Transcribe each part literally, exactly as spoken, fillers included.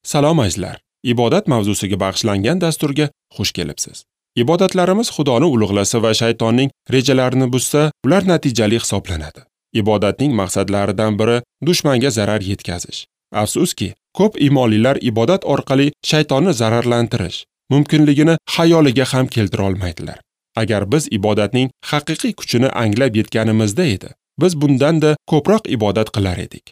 Salom azizlar. Ibodat mavzusiga bag'ishlangan dasturga xush kelibsiz. Ibodatlarimiz Xudoni ulug'lasa va shaytonning rejalarini buzsa, ular natijali hisoblanadi. Ibodatning maqsadlaridan biri dushmanga zarar yetkazish. Afsuski, ko'p imonlilar ibodat orqali shaytonni zararlantirish mumkinligini xayoliga ham keltira olmaydilar. Agar biz ibodatning haqiqiy kuchini anglab yetganimizda edi, biz bundan-da ko'proq ibodat qilar edik.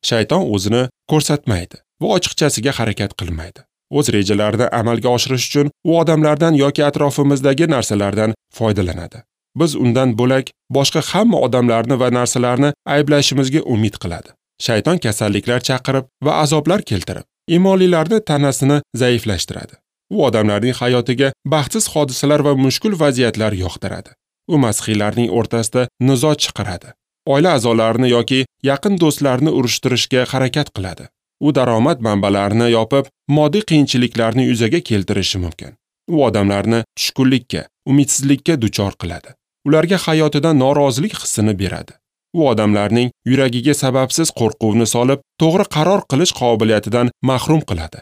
Shayton o'zini ko'rsatmaydi va ochiqchasiga harakat qilmaydi. O'z rejalarini amalga oshirish uchun u odamlardan yoki atrofimizdagi narsalardan foydalanadi. Biz undan bo'lak boshqa hamma odamlarni va narsalarni ayblashimizga umid qiladi. Shayton kasalliklar chaqirib va azoblar keltirib, imonlilarni tanasini zaiflashtiradi. U odamlarning hayotiga baxtsiz hodisalar va mushkul vaziyatlar yoqtiradi. U masihiylarning o'rtasida nizo chiqaradi. Oila a'zolarini yoki yaqin do'stlarni urushtirishga harakat qiladi. U daromad manbalarini yopib, moddiy qiyinchiliklarni yuzaga keltirishi mumkin. U odamlarni tushkunlikka, umidsizlikka duchor qiladi. Ularga hayotidan norozilik hissini beradi. U odamlarning yuragiga sababsiz qo'rquvni solib, to'g'ri qaror qilish qobiliyatidan mahrum qiladi.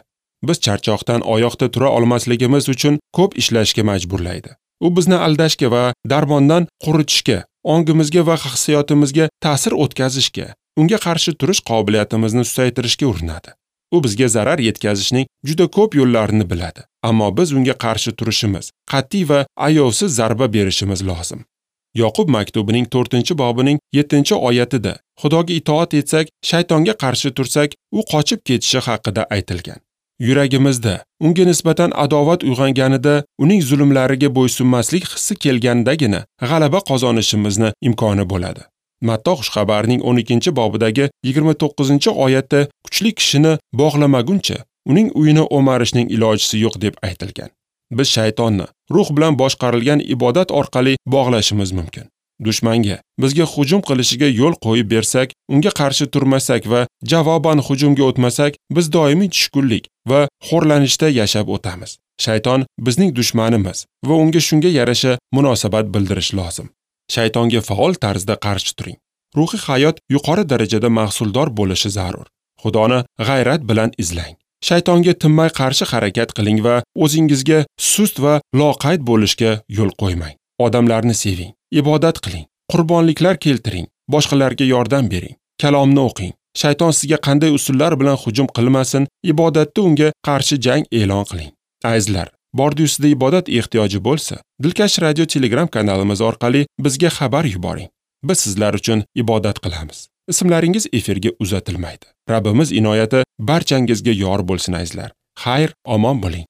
Biz charchoqdan oyoqda tura olmasligimiz uchun ko'p ishlashga majburlaydi. U bizni aldashga va darmondan quritishga, ongimizga va hissiyotimizga ta'sir o'tkazishga, unga qarshi turish qobiliyatimizni susaytirishga urinadi. U bizga zarar yetkazishning juda ko'p yo'llarini biladi, ammo biz unga qarshi turishimiz, qat'iy va ayovsiz zarba berishimiz lozim. Yoqub maktubining to'rtinchi bobining yettinchi oyatida Xudoga itoat etsak, shaytonga qarshi tursak, u qochib ketishi haqida aytilgan. Yuragimizda unga nisbatan adovat uyg'onganida, uning zulmlariga bo'ysunmaslik hissi kelgandagina g'alaba qozonishimizni imkoni bo'ladi. Matto xushxabarining o'n ikkinchi bobidagi yigirma to'qqizinchi oyatda kuchli kishini bog'lamaguncha uning uyini o'marishning ilojisi yo'q deb aytilgan. Biz shaytonni ruh bilan boshqarilgan ibodat orqali bog'lashimiz mumkin. Dushmanga bizga hujum qilishiga yo'l qo'yib bersak, unga qarshi turmasak va javoban hujumga o'tmasak, biz doimiy tushkunlik va xo'rlanishda yashab o'tamiz. Shayton bizning dushmanimiz va unga shunga yarasha munosabat bildirish lozim. Shaytonga faol tarzda qarshi turing. Ruhiy hayot yuqori darajada mahsuldor bo'lishi zarur. Xudoni g'ayrat bilan izlang. Shaytonga tinmay qarshi harakat qiling va o'zingizga sust va loqayd bo'lishga yo'l qo'ymang. Odamlarni seving, ibodat qiling, qurbonliklar keltiring, boshqalarga yordam bering, kalomni o'qing. Shayton sizga qanday usullar bilan hujum qilmasin, ibodatda unga qarshi jang e'lon qiling. Azizlar, bordi-ustida ibodat ehtiyoji bo'lsa, Dilkash radio Telegram kanalimiz orqali bizga xabar yuboring. Biz sizlar uchun ibodat qilamiz. Ismlaringiz efirga uzatilmaydi. Rabbimiz inoyati barchangizga yor bo'lsin azizlar. Xayr, omon bo'ling.